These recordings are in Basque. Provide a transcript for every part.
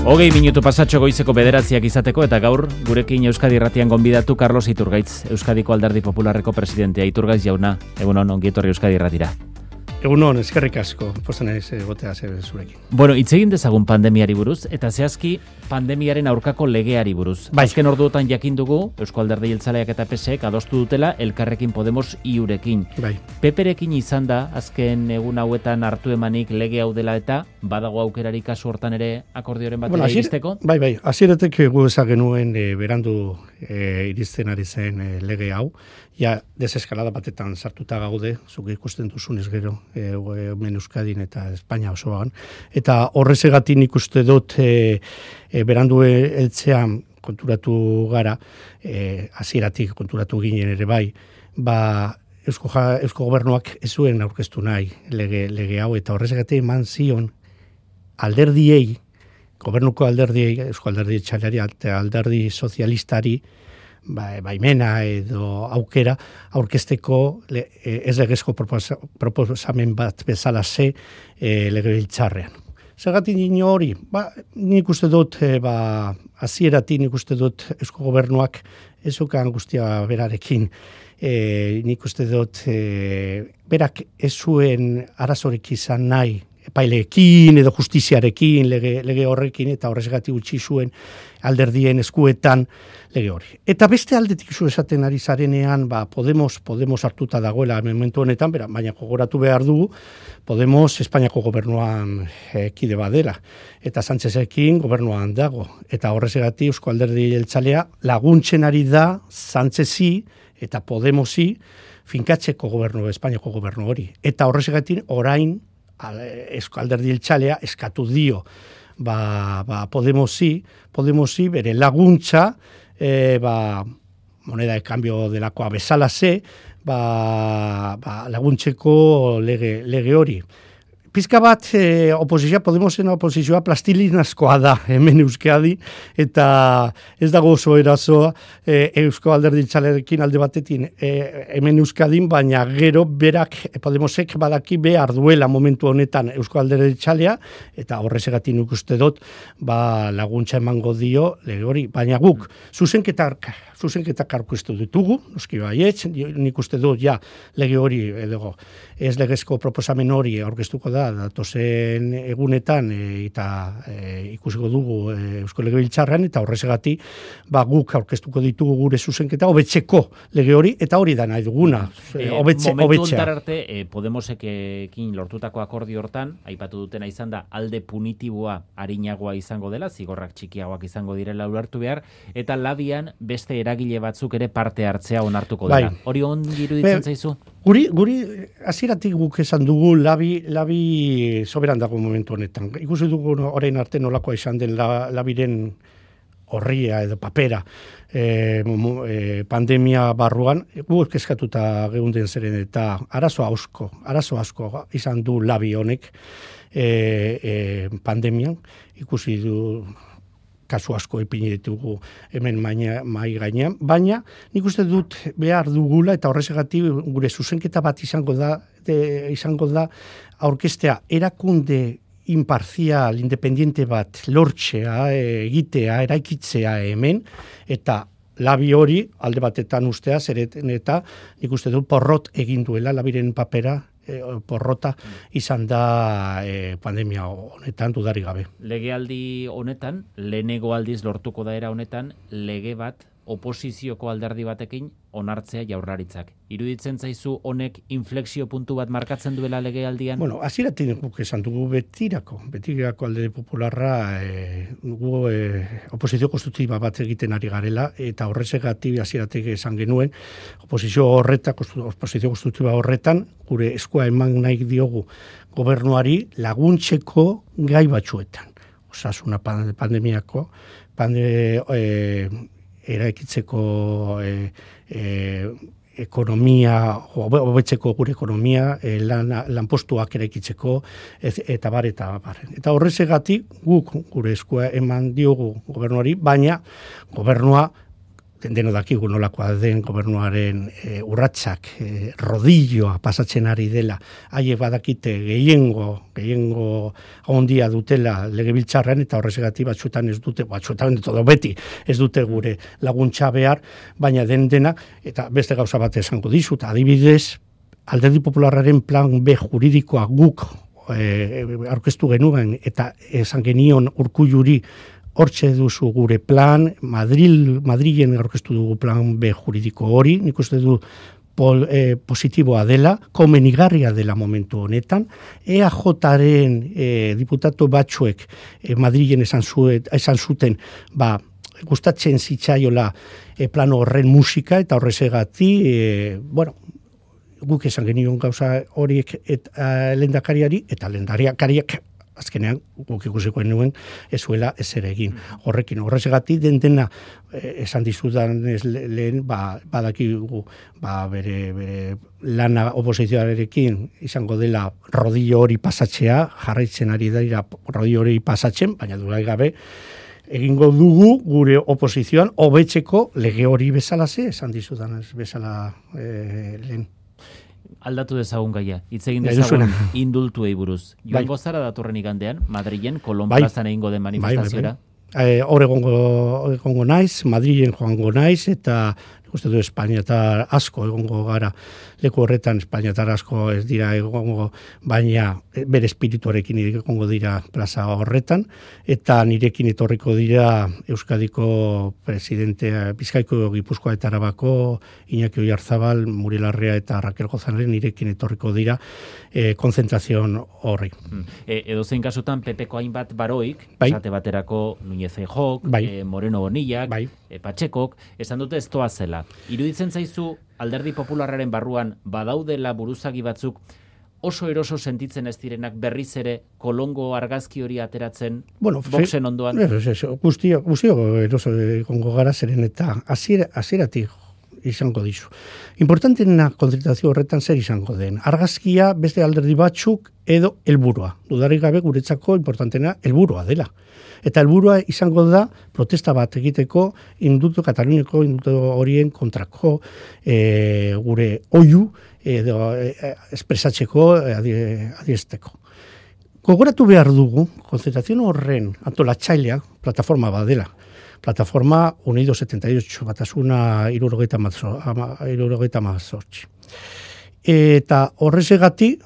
20 minutu pasatxo goizeko 9 izateko eta gaur gurekin Euskadi Irratian gonbidatu Carlos Iturgaitz, Euskadiko Alderdi Popularreko presidentea. Iturgaitz jauna, egunon, ongi etorri Euskadi Irratira. Egunon, eskerrik asko, posten ez egotea zurekin. Bueno, hitz egin dezagun pandemiari buruz, eta zehazki pandemiaren aurkako legeari buruz. Bai. Azken orduotan jakin dugu, Eusko Alderdi Jeltzaleak eta PSek adostu dutela Elkarrekin Podemos iurekin. Bai. PPrekin izan da, azken egun hauetan hartu emanik lege hau dela eta badago aukerari kasu hortan ere akordioren batera iristeko? Bai, hasieratik gu ezagenuen berandu iristen ari zen lege hau. Ja, deseskalada batetan sartuta gaude, zuk ikusten duzunez gero, hemen Euskadin eta Espainia osoan. Eta horrezegatik nik uste dut berandu heltzean konturatu gara, hasieratik konturatu ginen ere bai, Eusko Gobernuak ez zuen aurkeztu nahi lege hau, eta horrezegatik eman zion alderdiei, gobernuko alderdiei, Eusko Alderdi Jeltzaleari eta Alderdi Sozialistari, baimena edo aukera aurkezteko ez legezko proposamen bat bezala ze legebiltzarrean. Zergatik nino hori? Nik uste dut, hasieratik nik uste dut Eusko Gobernuak ezukan guztia berarekin. Nik uste dut berak ez zuen arazorik izan nahi epaileekin edo justiziarekin lege horrekin, eta horrezgatik utzi zuen alderdien eskuetan lege hori. Eta beste aldetik zu esaten ari zarenean, Podemos hartuta dagoela momentu honetan, baina gogoratu behar dugu, Podemos Espainiako gobernuan kide badela, eta Sánchezekin gobernuan dago, eta horrezgatik Eusko Alderdi Jeltzalea laguntzen ari da Sánchezi eta Podemosi finkatzeko gobernu, Espainiako gobernu hori. Eta horrezgatik orain Eusko Alderdi Jeltzalea eskatu dio Podemosi bere laguntza moneda de cambio delakoa bezala ze laguntzeko lege hori. Pizka bat Podemosen oposizioa plastilinazkoa da hemen Euskadi, eta ez dago oso erazoa Eusko Alderdi Jeltzalearekin alde batetin hemen Euskadin, baina gero berak Podemosek badaki behar duela momentu honetan Eusko Alderdi Jeltzalea, eta horrezegatik nik uste dut laguntza emango dio lege hori, baina guk zuzenketak aurkeztu ditugu, noski baietz, nik uste dut lege hori edo ez legezko proposamen hori aurkeztuko da datozen egunetan, eta ikusiko dugu Eusko Legebiltzarrean, eta horrezegatik guk aurkeztuko ditugu gure zuzenketa hobetzeko lege hori, eta hori da nahi duguna, hobetzea. Momentu hontar arte, Podemosekin lortutako akordio hortan, aipatu dutena izan da alde punitiboa arinagoa izango dela, zigorrak txikiagoak izango direla ulertu behar, eta labian beste eragile batzuk ere parte hartzea onartuko dela. Hori ongi iruditzen zaizu? Guri hasieratik guk esan dugu labi soberan dago momentu honetan. Ikusi dugu orain arte nolakoa izan den labiren horria edo papera pandemia barruan, guk eskatuta geunden zeren, eta arazo asko izan du labi honek pandemian. Ikusi du kasu asko ipini ditugu hemen mai gainean, baina nik uste dut behar dugula, eta horrezagatik gure zuzenketa bat izango da aurkeztea erakunde imparzial, independiente bat lortzea, egitea, eraikitzea hemen, eta labi hori alde batetan ustea, zeren eta nik uste dut porrot egin duela labiren papera, porrota izan da pandemia honetan dudarik gabe. Legealdi honetan, lehenengo aldiz lortuko da era honetan, lege bat oposizioko alderdi batekin onartzea Jaurlaritzak. Iruditzen zaizu honek inflexio puntu bat markatzen duela legealdian? Bueno, hasieratik guk esan dugu betirako Alderdi Popularra oposizio konstruktiba bat egiten ari garela, eta horrezegatik hasieratik esan genuen oposizio konstruktiba horretan gure eskua eman nahi diogu gobernuari laguntzeko gai batzuetan. Osasuna pandemiako eraikitzeko ekonomia, hobetzeko gure ekonomia, lanpostuak eraikitzeko, eta bar. Eta horrezegatik guk gure eskua eman diogu gobernuari, baina gobernua deno dakigu nolakoa den gobernuaren urratsak, rodilloa pasatzen ari dela, haiek badakite gehiengo ondia dutela legebiltzarrean, eta horrezegatik batzuetan ez dute, batzuetan edo beti ez dute gure laguntza behar, baina dena, eta beste gauza bat esango dizut, adibidez, Alderdi Popularraren plan B juridikoa guk aurkeztu genuen, eta esan genion Urkulluri, hortxe duzu gure plan, Madrilen aurkeztu dugu plan B juridiko hori, nik uste du positiboa dela, komenigarria dela momentu honetan, EAJaren diputatu batzuek Madrilen esan zuten, gustatzen zitzaiola plan horren musika, eta horrezegati, guk esan genion gauza horiek lehendakariari, eta lehendakariak azkenean guk ikusiko nuen ez zuela ezer egin. Horrezagatik dena esan dizudan lehen badakigu bere lana oposizioarekin izango dela rodillo hori pasatzea, jarraitzen ari dira rodillo hori pasatzen, baina durai gabe egingo dugu gure oposizioan hobetzeko lege hori bezalaze, esan dizudan ez bezala lehen. Aldatu dezagun gaia, hitz egin dezagun indultuei buruz. Joango zara datorren igandean, Madrilen, Kolon plazan egingo den manifestaziora? Hor egongo naiz, Madrilen joango naiz, eta uste du Espainiatar asko egongo gara, leku horretan Espainiatar asko ez dira egongo, baina bere espirituarekin egongo dira plaza horretan, eta nirekin etorriko dira Euskadiko presidentea, Bizkaiko, Gipuzkoa eta Arabako, Iñaki Oyarzabal, Muriel Larrea eta Raquel Gozanren nirekin etorriko dira konzentrazion horri. Edozein kasutan, PPko hainbat baroik, esate baterako Núñez Feijóok, Moreno Bonillak, Patxekok, esan dute ez toa zela. Iruditzen zaizu Alderdi Popularraren barruan badaudela buruzagi batzuk oso eroso sentitzen ez direnak berriz ere Kolongo argazki hori ateratzen boxen ondoan? Guztio eroso egongo gara zeren eta hasieratik izango dizu. Importanteena konzentrazio horretan zer izango den. Argazkia beste alderdi batzuk edo helburua. Dudarik gabe guretzako importanteena helburua dela. Eta helburua izango da protesta bat egiteko Kataluniako indultu horien kontrako gure oihu edo espresatzeko adierazteko. Gogoratu behar dugu, konzentrazio horren antolatzaileak plataforma bat dela. Plataforma Unidos 78, batasuna 78. Eta horrezegati,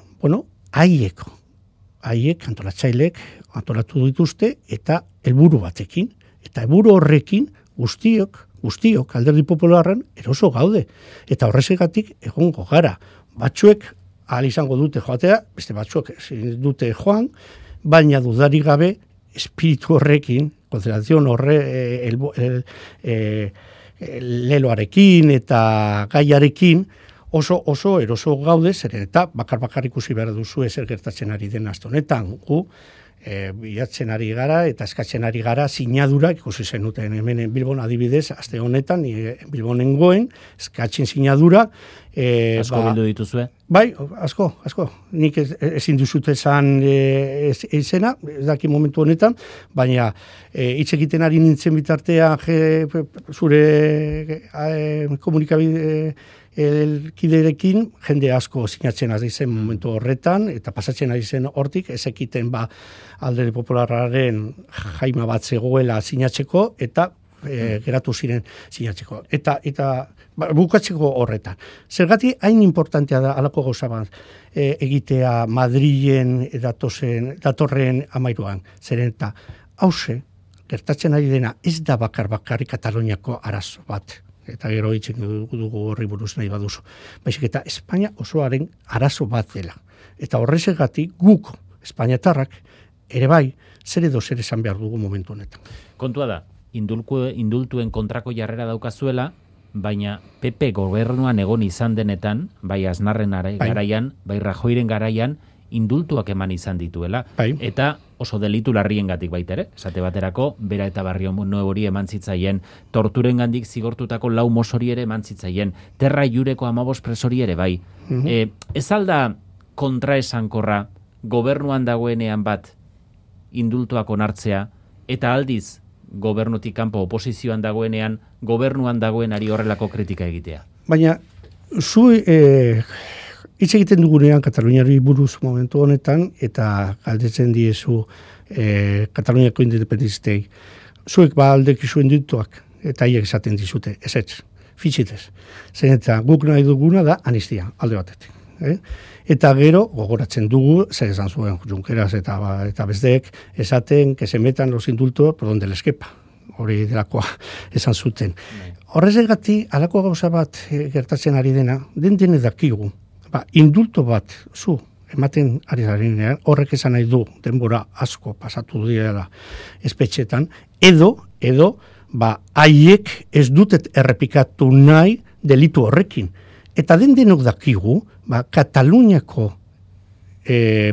haiek antolatzaileek antolatu dituzte eta helburu batekin. Eta helburu horrekin guztiok Alderdi Popularren eroso gaude. Eta horrezegatik egongo gara. Batzuek ahal izango dute joatea, beste batzuek dute joan, baina dudarik gabe espiritu horrekin, konzentrazio leloarekin eta gaiarekin oso eroso gaude, zeren eta bakar ikusi behar duzu ezer gertatzen ari den aste honetan. Gu bilatzen ari gara eta eskatzen ari gara sinadurak, ikusi zenuten hemen Bilbon adibidez, aste honetan Bilbonen goen, eskatzen sinadura. Asko bildu dituzue? Bai, asko. Nik ezin duzut esan izena, ez daki momentu honetan, baina hitz egiten ari nintzen bitartea zure komunikabide kiderekin jende asko sinatzen ari zen momentu horretan, eta pasatzen ari zen hortik, ezekiten Alderdi Popularraren jaima bat zegoela sinatzeko, eta geratu ziren sinatzeko. Eta bukatzeko horretan. Zergatik hain importantea da alako gauza bat egitea Madrilen datorren 13. Zeren eta hause, gertatzen ari dena ez da bakarrik Kataluniako arazo bat. Eta gero hitzen dugu horri buruz nahi baduzu. Baizik eta Espainia osoaren arazo bat dela. Eta horrezegatik guk, Espainiatarrak, ere bai, zer esan behar dugu momentu honetan. Kontua da, indultuen kontrako jarrera daukazuela, baina PP gobernuan egon izan denetan, bai Aznarren garaian, bai Rajoyren garaian, indultuak eman izan dituela. Eta oso delitu larriengatik baita ere, esate baterako, Bera eta Barrio Nuevori eman zitzaien, torturengandik zigortutako 4 mosori ere eman zitzaien, Terra Jureko 15 presori ere bai. Ez alda kontraesankorra gobernuan dagoenean bat indultuak onartzea, eta aldiz gobernutik kanpo oposizioan dagoenean, gobernuan dagoenari horrelako kritika egitea? Baina, zu hitz egiten dugunean Kataluniari buruz momentu honetan, eta galdetzen diezu Kataluniako independentistei, zuek aldekizu indituak, eta hiek esaten dizute, ez, fitxitez. Zen eta guk nahi duguna da anistia, alde batetik. Eta gero, gogoratzen dugu, zer esan zuen Junqueras eta besteek, esaten, que se metan los indultos por donde les quepa. Hori delakoa esan zuten. Horrezegati, alako gauza bat gertatzen ari dena, den dakigu. Indulto bat, zu, ematen ari zarenean, horrek esan nahi du, denbora asko pasatu direla espetxetan, edo, haiek ez dutet errepikatu nahi delitu horrekin. Eta denok dakigu, Kataluniako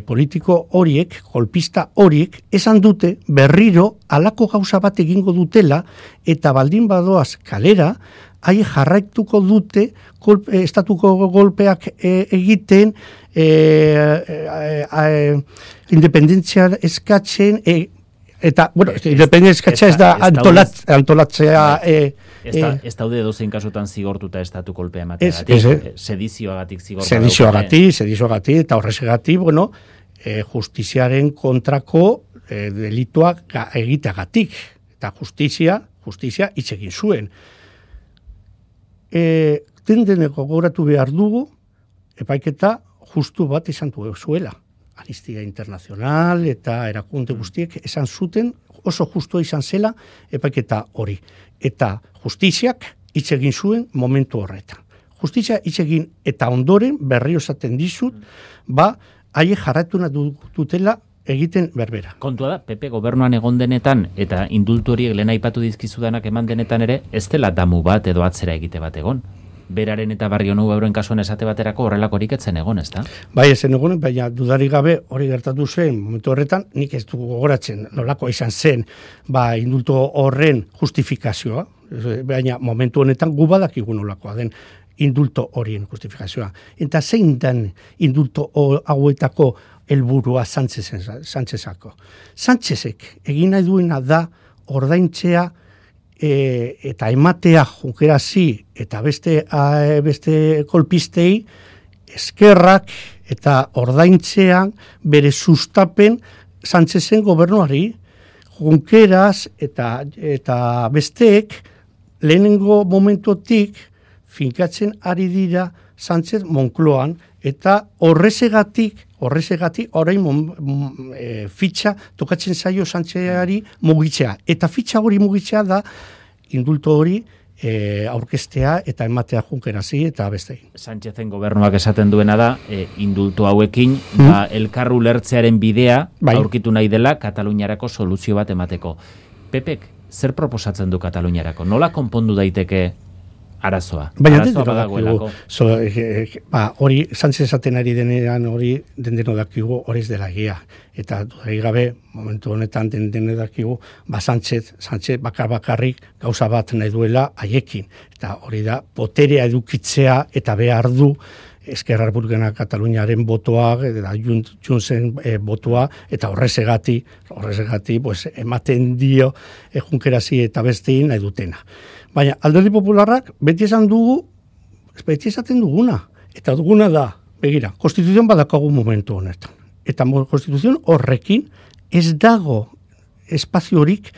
politiko horiek, golpista horiek, esan dute berriro alako gauza bat egingo dutela, eta baldin badoaz kalera, haie jarraituko dute estatuko golpeak egiten, independentzia eskatzen, eta, bueno, independentzia eskatzea ez da antolatzea... Ez daude dozein kasutan zigortuta estatu kolpea emateagatik, sedizioagatik zigortuta. Sedizioagatik, eta horrezegatik, bueno, justiziaren kontrako delituak egiteagatik. Eta justizia hitz egin zuen. Deneko gogoratu behar dugu, epaiketa justu bat izan zuela. Amnistia Internacional eta erakunde guztiek esan zuten, oso justu izan zela epaiketa hori. Eta justiziak hitz egin zuen momentu horretan. Justizia hitz egin eta ondoren berriro esaten dizut, haie jarratu dutela egiten berbera. Kontua da, PP gobernuan egon denetan eta indultu horiek lehen aipatu dizkizudanak eman denetan ere, ez dela damu bat edo atzera egite bat egon. Beraren eta Barrionuevo Euroen kasuan esate baterako horrelakorik etzen egon, ez da? Bai, ezen egon, baina dudarik gabe hori gertatu zen momentu horretan, nik ez dugu gogoratzen nolako izan zen indultu horren justifikazioa, baina momentu honetan gu badakigu nolakoa den indulto horien justifikazioa. Eta zein den indulto hauetako helburua Sánchezako. Sánchezek egin nahi duena da ordaintzea eta ematea Junquerasi eta beste kolpistei eskerrak eta ordaintzean bere sustapen Sánchezen gobernuari. Junqueras eta besteek lehenengo momentotik finkatzen ari dira Sánchez Moncloan eta horrezegatik orain fitxa tokatzen zaio Sánchezari mugitzea. Eta fitxa hori mugitzea da indulto hori aurkeztea eta ematea Junquerasi eta bestei. Sánchezen gobernuak esaten duena da, indulto hauekin, elkar ulertzearen bidea aurkitu nahi dela Kataluniarako soluzio bat emateko. Pepek, zer proposatzen du Kataluniarako? Nola konpondu daiteke arazoa? Baina dakigu, hori Sánchez esaten ari denean hori dendeno dakigu hori ez dela egia. Eta dudarik gabe, momentu honetan dendeno dakigu, Sánchez bakarrik gauza bat nahi duela haiekin. Eta hori da, boterea edukitzea eta behar du Esquerra Republicana Kataluniaren botoa, eta Juntzen botoa, eta horrezegati pues, ematen dio Junquerasi eta bestein nahi dutena. Baina Alderdi Popularrak beti esaten duguna. Eta duguna da, begira, konstituzion badakagu momentu honetan. Eta konstituzion horrekin ez dago espaziorik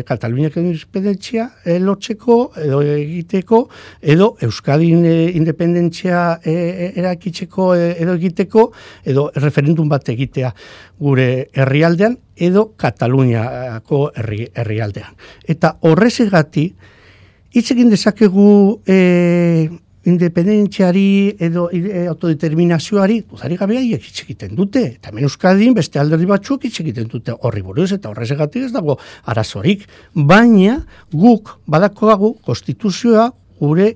Kataluniak independentzia lortzeko edo egiteko edo Euskadin independentzia erakitzeko edo egiteko edo referendum bat egitea gure herrialdean edo Kataluniako herrialdean. Eta horrezegati hitz egin dezakegu independentziari edo autodeterminazioari, dudarik gabe haiek hitz egiten dute. Eta hemen Euskadin beste alderdi batzuk hitz egiten dute horri buruz eta horrezagatik ez dago arazorik. Baina guk badakoagu konstituzioa gure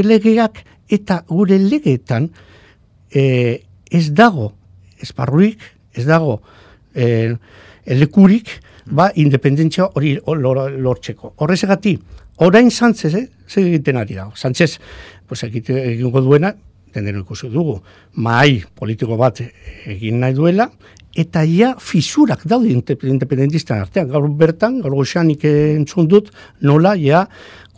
legeak eta gure legeetan ez dago esparrurik, ez dago lekurik independentzia hori lortzeko. Horrezagatik, orain Sánchez, zer egiten ari da. Sánchez, egingo duena, dendero ikusi dugu, mahai politiko bat egin nahi duela, eta ja fisurak daude independentisten artean. Gaur bertan, gaur goxanik entzun dut, nola ja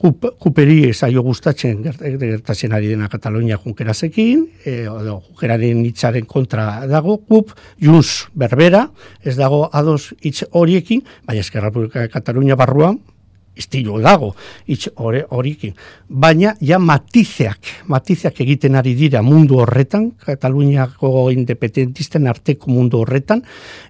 kuperi zaio gustatzen gertatzen ari dena Katalunia junkerazekin, junkeraren hitzaren kontra dago, Junts berbera, ez dago ados hitz horiekin, baina Esquerra Republicana Katalunia barruan, estilo dago, hitz horiekin. Baina, ja matizeak egiten ari dira mundu horretan, Kataluniako independentisten arteko mundu horretan,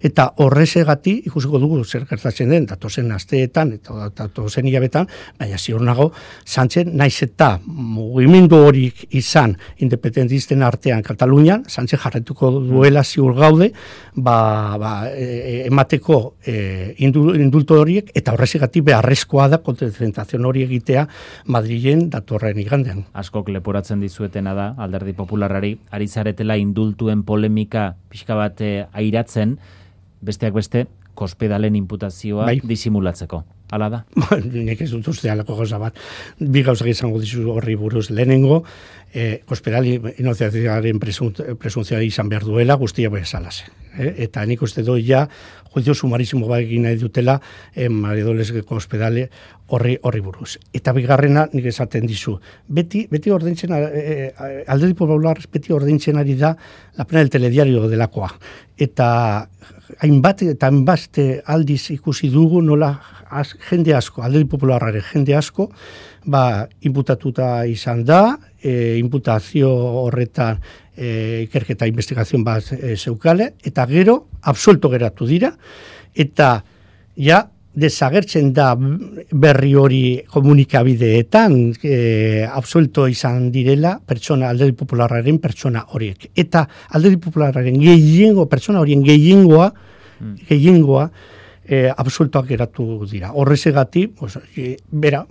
eta horrezegati, ikusiko dugu zer gertatzen den, datozen asteetan, eta datozen hilabetan, baina ziur nago, Sánchez naiz eta mugimendu horik izan independentisten artean Katalunian, Sánchez jarretuko duela ziur gaude, emateko indulto horiek, eta horrezegati beharrezkoa da kontzentrazio hori egitea Madrilen datorren igandean. Askok leporatzen dizuetena da, Alderdi Popularrari, ari zaretela indultuen polemika pixka bat airatzen, besteak beste, Cospedalen imputazioa disimulatzeko. Hala da? Nik ez dut uste alako gauza bat. Bi gauzak izango dizu horri buruz. Lehenengo, Cospedali inoziazioaren presuntzioa izan behar duela, guztia bezalaze. Eta nik uste doi ja, juizio sumarismo bat egin nahi dutela, María Dolores Cospedale horri buruz. Eta bigarrena, nik esaten dizu, beti ordaintzen, Alderdi Popular beti ordaintzen ari da la pena del telediario delakoa. Eta hainbat aldiz ikusi dugu nola jende asko, Alderdi Popularraren jende asko, inputatuta izan da, imputazio horretan ikerketa investigazioan bat zeukale, eta gero, absuelto geratu dira, eta ja, desagertzen da berri hori komunikabideetan, absuelto izan direla Alderdi Popularraren pertsona horiek. Eta Alderdi Popularraren pertsona horien gehiengoa, absueltoak geratu dira. Horrezegati, bera,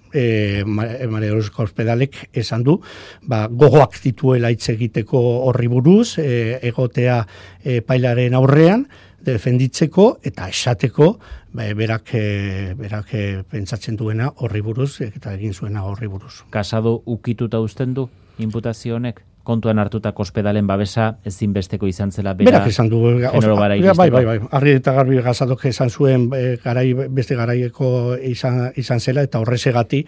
María Dolores Cospedalek esan du, gogoak dituela hitz egiteko horri buruz, egotea pailaren aurrean, defenditzeko eta esateko berak pentsatzen duena horri buruz eta egin zuena horri buruz. Casado ukituta uzten du imputazio honek? Kontuan hartuta Cospedalen babesa ezinbesteko izan zela berak esan du bai. Argi eta garbi Casadok esan zuen beste garaieko izan zela eta horrezegati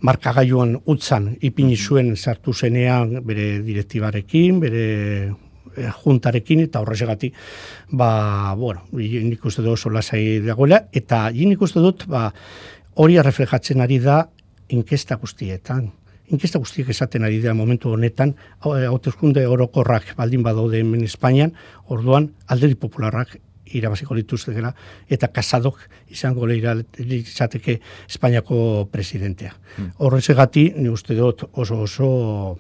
markagailuan utzan ipini zuen sartu zenean bere direktibarekin, bere juntarekin eta horrezegati nik uste dut oso lasai dagoela eta nik uste dut hori reflejatzen ari da inkesta guztietan. Inkesta guztiek esaten ari da momentu honetan, hauteskunde orokorrak baldin badaude hemen Espainian, orduan Alderdi Popularrak irabaziko lituztekela eta Casadok izango litzateke Espainiako presidentea. Horrezegati, ni uste dut oso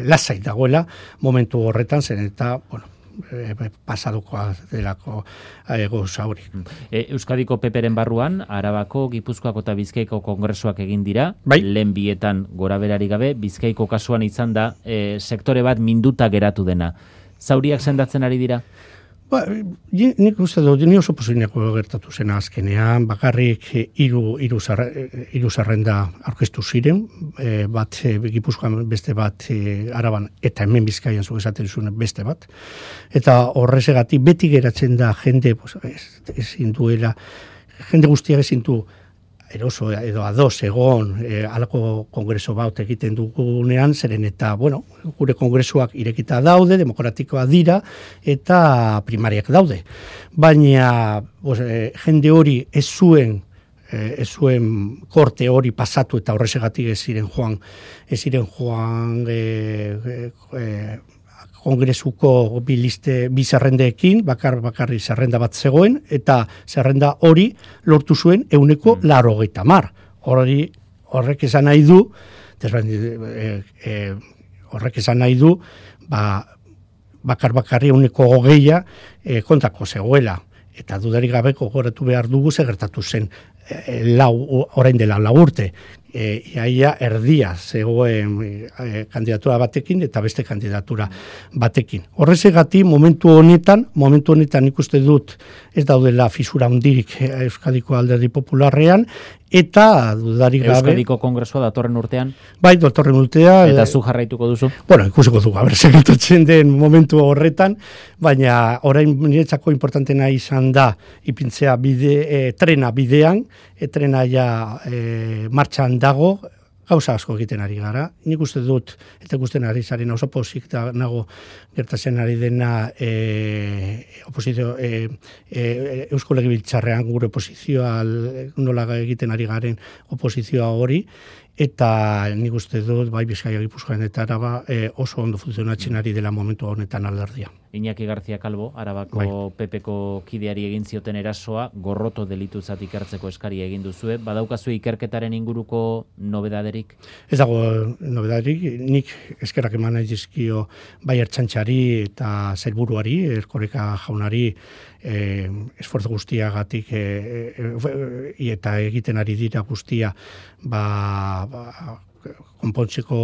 lasai dagoela momentu horretan zen eta, pasadokoa delako gauza hori. Euskadiko PPren barruan, Arabako, Gipuzkoako eta Bizkaiko kongresuak egin dira, lehen bietan goraberari gabe, Bizkaiko kasuan izan da sektore bat minduta geratu dena. Zauriak sendatzen ari dira? Nik uste dut, ni oso posibleko gertatu zena azkenean, bakarrik hiru zerrenda aurkeztu ziren, bat Gipuzkoan beste bat Araban eta hemen Bizkaian zuk esaten zuen beste bat. Eta horrezagatik beti geratzen da jende, ezin duela, jende guztiak ezin du eroso edo ados egon alako kongreso bat egiten dugunean, zeren eta, gure kongresuak irekita daude, demokratikoa dira, eta primariak daude. Baina jende hori ez zuen korte hori pasatu eta horrezegatik ez ziren joan kongresuko bi zerrendeekin, bakarri zerrenda bat zegoen, eta zerrenda hori lortu zuen 80%. Horrek esan nahi du, bakarri 80% kontrako zegoela. Eta dudarik gabe gogoratu behar dugu gertatu zen orain dela 4 urte, iaia erdia zegoen kandidatura batekin eta beste kandidatura batekin. Horrezegati momentu honetan ikuste dut ez daudela fisura hundirik Euskadiko Alderdi Popularrean, eta dudarik gabe... Euskadiko Kongresua datorren urtean? Bai, datorren urtean... Eta zu jarraituko duzu? Bueno, ikusiko dugu, segertatzen den momentu horretan, baina orain niretzako importantena izan da ipintzea trena bidean, trena ja martxan dago, gauza asko egiten ari gara. Nik uste dut, eta ikusten ari zaren oso pozik nago gertatzen ari dena oposizio Eusko Legebiltzarrean gure oposizioa nola egiten ari garen oposizioa hori, eta nik uste dut, bai Bizkaia, Gipuzkoan eta Araba oso ondo funtzionatzen ari dela momentu honetan alderdia. Iñaki García Calvo, Arabako PPko kideari egin zioten erasoa, gorroto delituzat ikertzeko eskaria egin duzue. Badaukazu ikerketaren inguruko nobedaderik? Ez dago nobedaderik, nik eskerrak eman nahi dizkio bai Ertzaintzari eta sailburuari, Erkoreka jaunari, esfortzu guztiagatik eta egiten ari dira guztia konpontzeko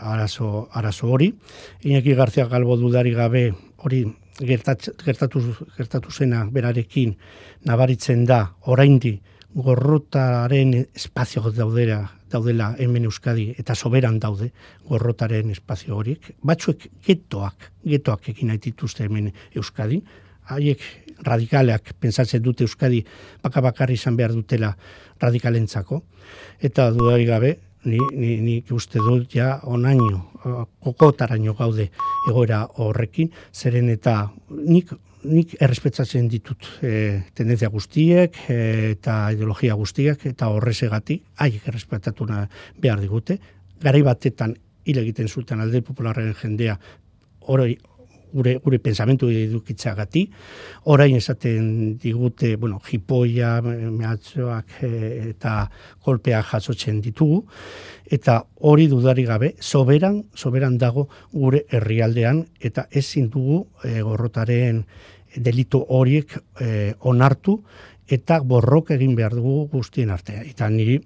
arazo hori. Iñaki García Calvo dudari gabe hori gertatu zena berarekin nabaritzen da oraindi gorrotaren espazio daudela hemen Euskadi eta soberan daude gorrotaren espazio horiek. Batzuek getoak egin nahi dituzte hemen Euskadin, haiek radikaleak pentsatzen dute Euskadi bakarri izan behar dutela radikalentzako, eta dudari gabe nik uste dut ja onaino, kokotaraino gaude egoera horrekin, zeren eta nik errespetzatzen ditut tendentzia guztiek eta ideologia guztiak, eta horrezegatik haiek errespetatu behar digute. Garai batetan hil egiten zuten Alderdi Popularraren jendea gure pensamentu edukitzagati, orain esaten digute, jipoia, mehatxoak eta kolpeak jasotzen ditugu, eta hori dudari gabe, soberan dago gure herrialdean, eta ezin dugu gorrotaren delitu horiek onartu, eta borrok egin behar dugu guztien artea. Eta niri,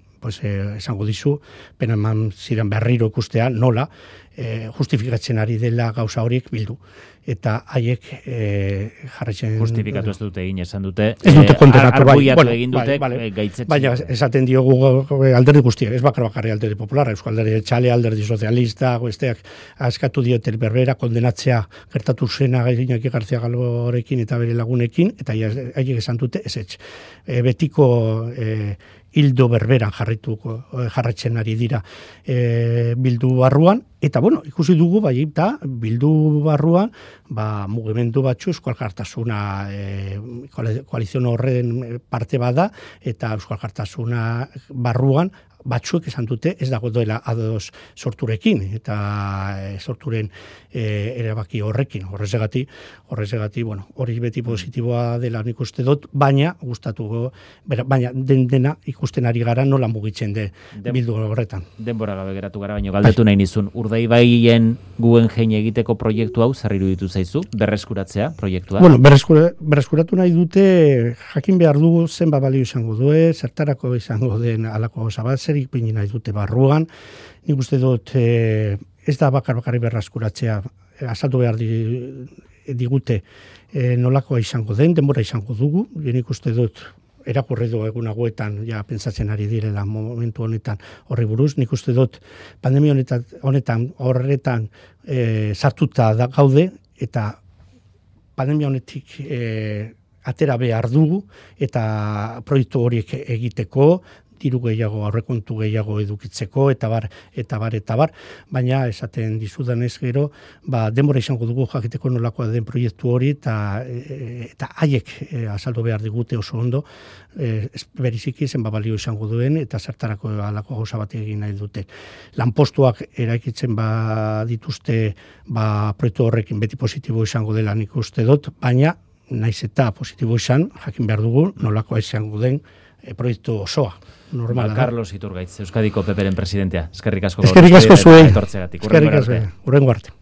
esango dizu, pena eman ziren berriro ikustea, nola, justifikatzen ari dela gauza horiek bildu. Eta haiek jarraitzen... Justifikatu ez dute egin, esan dute. Ez dute kondenatu, arbuiatu egin dute, gaitzetzen. Baina esaten diogu alderdi guztiak, ez bakarri Alderdi Popularra, Euskal Alderdi Jeltzale, Alderdi Sozialista, besteak askatu diote berbera kondenatzea gertatu zena Iñaki García Calvorekin eta bere lagunekin, eta haiek esan dute ezetz. Betiko hildo berberan jarraitzen ari dira bildu barruan, eta ikusi dugu eta bildu barruan mugimendu batzu Euskal Alkartasuna koalizio horren parte bada, eta Euskal Alkartasuna barruan batzuek esan dute ez dago doela ados sorturekin eta sorturen erabaki horrekin. Horrezegati, hori beti positiboa dela nik uste dut, baina dena ikusten ari gara nola mugitzen bildu horretan. Denbora gabe geratu gara, baina galdetu nahi nizun. Urdaibaien Guggenheim egiteko proiektu hau zer iruditu zaizu? Berreskuratzea proiektua? Berreskuratu nahi dute, jakin behar dugu zenba balio izango due, zertarako izango den alako zabatzer, ipini nahi dute barruan. Nik uste dut ez da bakarri berreskuratzea, azaldu behar digute nolakoa izango den, denbora izango dugu. Nik uste dut erakurri du egun hauetan pentsatzen ari direla momentu honetan horri buruz. Nik uste dut pandemia horretan sartuta gaude, eta pandemia honetik atera behar dugu, eta proiektu horiek egiteko, diru gehiago, aurrekontu gehiago edukitzeko, eta bar, baina esaten dizudanez gero, denbora izango dugu jakiteko nolakoa den proiektu hori, eta haiek azaldu behar digute oso ondo, beriziki zenba balio izango duen, eta zertarako alako gauza bat egin nahi dute. Lanpostuak eraikitzen dituzte proiektu horrekin beti positibo izango dela nik uste dut, baina naiz eta positibo izan, jakin behar dugu nolakoa izango den proiektu osoa. Carlos Iturgaitz, Euskadiko PPren presidentea. Eskerrik asko. Eskerrik asko zuei. Eskerrik asko. Hurrengo arte.